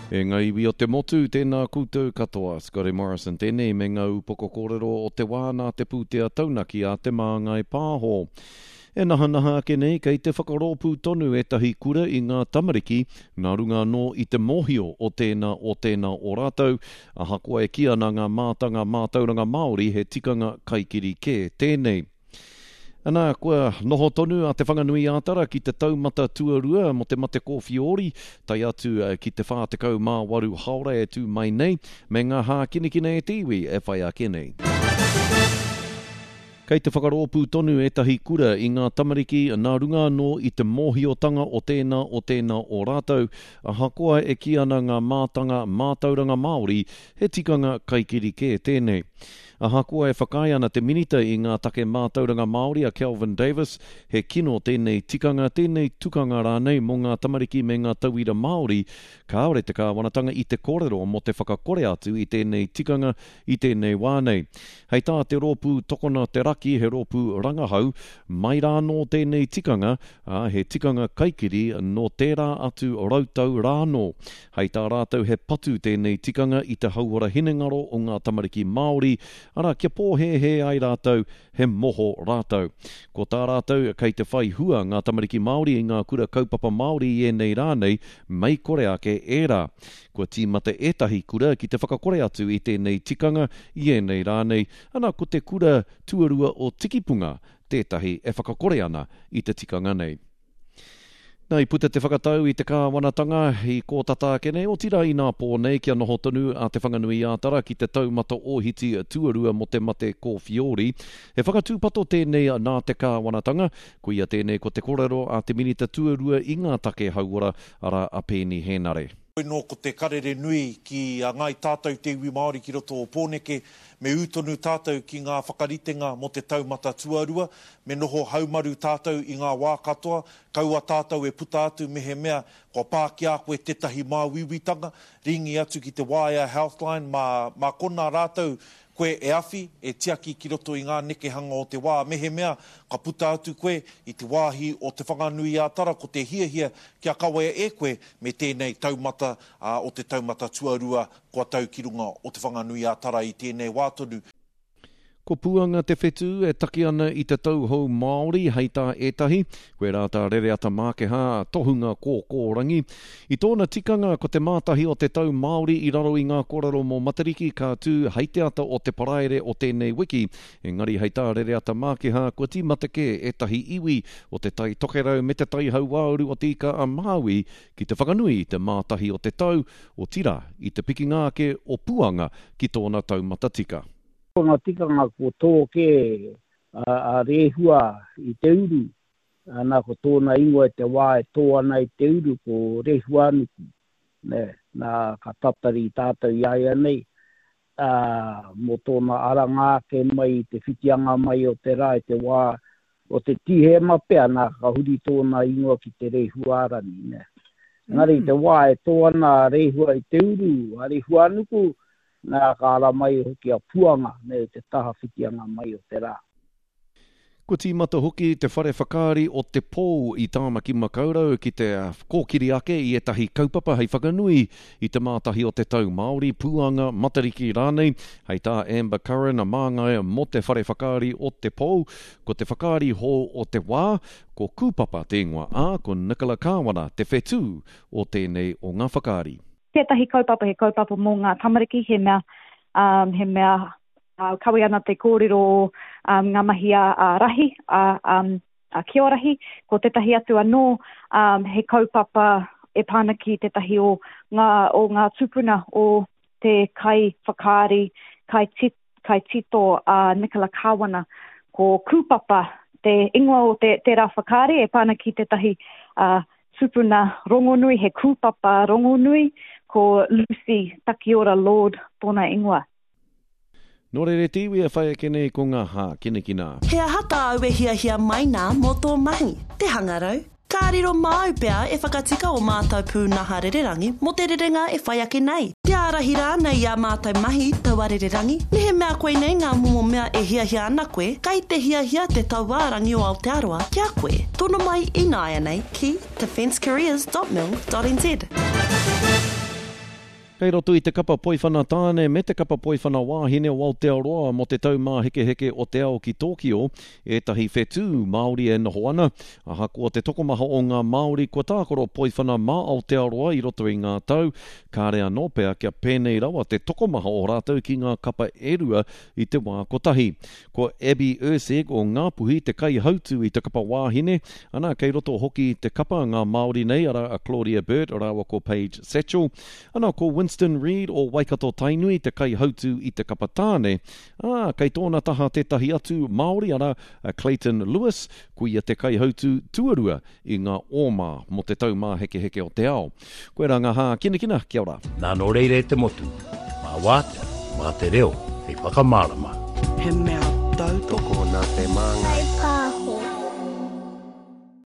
E ngā iwi o te motu, tēnā koutou katoa. Scotty Morrison tēnei me ngā upoko kōrero o te wā nā te pūtea taunaki a Te Māngai Pāho. E nahanaha ake nei kei te whakarōpū tonu ētahi kura i ngā tamariki nā runga anō i te mōhio o tēnā o tēnā o rātou, ahakoa e kī ana ngā mātanga mātauranga Māori he tikanga kaikiri kē tēnei. Ana, kua noho tonu a Te Whanganui-ā-Tara ki te taumata tuarua mō te mate kōwhiori, tae atu ki te 48 haora e tū mai nei, me ngā hākinakina e te iwi e whai ake nei. Kei te whakarōpū tonu ētahi kura i ngā tamariki nā runga anō i te mōhiotanga o tēnā o tēnā o rātou, ahakoa e kī ana ngā mātanga mātauranga Māori he tikanga kaikiri kē tēnei. Ahakoa e whakaae ana te Minita i ngā take mātauranga Māori a Kelvin Davis, he kino tēnei tikanga, tēnei tukanga rānei mō ngā tamariki me ngā tauira Māori, kāore te kāwanatanga i te kōrero mō te whakakore atu i tēnei tikanga i tēnei wā nei. Hei tā te rōpū Tokona te Raki, he rōpū rangahau, mai rānō tēnei tikanga, ā, he tikanga kaikiri nō tērā atu rautau rānō. Hei tā rātou he patu tēnei tikanga i te hauora hinengaro o ngā tamariki Māori, arā, kia pōhēhē ai rātou he moho rātou. Ko tā rātou kei te whai hua ngā tamariki Māori i ngā kura kaupapa Māori i ēnei rā nei, mei kore ake ērā. Kua tīmata ētahi kura ki te whakakore atu i tēnei tikanga i ēnei rā nei, ana ko te kura tuarua o Tikipunga tētahi e whakakore ana i te tikanga nei. Nā, i puta te whakatau i te kāwanatanga i kō tata ake nei, otirā inā pō nei kia noho tonu a Te Whanganui-ā-Tara ki te taumata ōhiti tuarua mō te mate kōwhiori. He whakatūpato tēnei nā te kāwanatanga, koia tēnei ko te korero a te Minita Tuarua i ngā take hauora, arā a Peeni Hēnare. Hoi nō ko te karere nui ki a Ngāi Tātou te iwi Māori ki roto o Pōneke, me ū tonu tātou ki ngā whakaritenga mō te taumata tuarua, me noho haumaru tātou i ngā wā katoa, kaua tātou e puta atu mehemea kua pā ki a koe tētahi māuiuitanga, rīngi atu ki te waea Healthline mā, mā konā rātou koe e awhi, e tiaki ki roto i ngā nekehanga o te wā. Mehemea ka puta atu koe i te wāhi o Te Whanganui-ā-Tara ko te hiahia kia kawea e koe me tēnei taumata o te taumata tuarua kua tau ki runga o Te Whanganui-ā-Tara i tēnei wā tonu. Ko Puanga te whetū e taki ana i te tauhou Māori, hei tā ētahi, koirā tā Rereata Mākehā, tohunga kōkōrangi. I tōna tikanga, ko te mātahi o te tau Māori i raro i ngā kōrero mō Matariki ka tū hei te ata o te Paraire o tēnei wiki, engari hei tā Rereata Mākehā kua tīmata kē ētahi iwi o Te Tai Tokerau me Te Tai Hauāuru o Te Ika-a-Māui ki te whakanui i te mātahi o te tau, otirā, i te pikinga ake o Puanga ki tōna taumata tika. Ko ngā tikanga ko tō kē a Rehua i te uru, ana ko tōna ingoa i te wā e tō ana i te uru ko Rehuanuku, nē, nā ka tatari tātou i a ia nei, ā, mō tōna aranga ake mai i te whitianga mai o te rā i te wā o te Tīhema pea, nā ka huri tōna ingoa ki te Rehuarangi, nē. Engari i te wā e tō ana a Rehua i te uru, a Rehuanuku, Nā, ka ara mai hoki a Puanga me te taha whitianga mai o te rā. Kua tīmata hoki te whare whakaari o Te Pou i Tāmaki Makaurau ki te kōkiri ake i ētahi kaupapa hei whakanui i te mātahi o te tau Māori, Puanga, Matariki rānei. Hei tā Amber Curran, māngai mō te whare whakaari o Te Pou, ko te whakaari hou o te wā, ko Kūpapa te ingoa, ā, ko Nicola Kāwana te whetū o tēnei o ngā whakaari. Tētahi kaupapa he kaupapa mō ngā tamariki, he mea, um, he mea uh, kawe ana te kōrero o um, ngā mahi a, a rahi, a, um, a Kiorahi. Ko tētahi atu anō, um, he kaupapa e pā ana ki tētahi o ngā, o ngā tūpuna o te kai whakaari, kai kaitito a Nicola Kāwana, ko Kūpapa te ingoa o te, tērā whakaari e pā ana ki tētahi uh, tupuna rongonui, he kūpapa rongonui, ko Lucy Takiora Lord tōna ingoa. Nō reira te iwi e whai ake nei ko ngā hākinakina. He aha tāu e hiahia mai nā mō tō mahi? Te hangarau? Ka riro māu pea e whakatika ō mātou pūnaha rererangi mō te rerenga e whai ake nei, te ārahi rānei i ā mātou mahi taua rererangi. Mehemea koinei ngā momo mea e hiahia ana koe, kei te hiahia te Tauārangi o Aotearoa ki a koe. Tono mai ināianei ki defencecareers.mil.nz. Kei roto i te kapa poiwhana tāne me te kapa poiwhana wāhine o Aotearoa mō te Taumāhekeheke o te Ao ki Tōkio ētahi whetū Māori e noho ana. Ahakoa te tokomaha o ngā Māori kua tākaro poiwhana mā Aotearoa i roto i ngā tau, kāre anō pea kia pēnei rawa te tokomaha o rātou ki ngā kapa e rua i te wā kotahi. Ko Abby Erceg o Ngāpuhi te kaihautū i te kapa wāhine, ana kei roto hoki i te kapa ngā Māori nei arā a Claudia Burt rāua ko Paige Satchell. Ana ko Winston Reid o Waikato Tainui te kaihautū i te kapa tāne, ā, kei tōna taha tētahi atu Māori arā a Clayton Lewis, ko ia te kaihautū tuarua i ngā ōma mō te Taumāhekeheke o te Ao. Koirā ngā hākinakina, kia ora. Nā nō reira e te motu, mā wātea, mā te reo hei whakamārama. He mea tautoko. Tokona te māngai.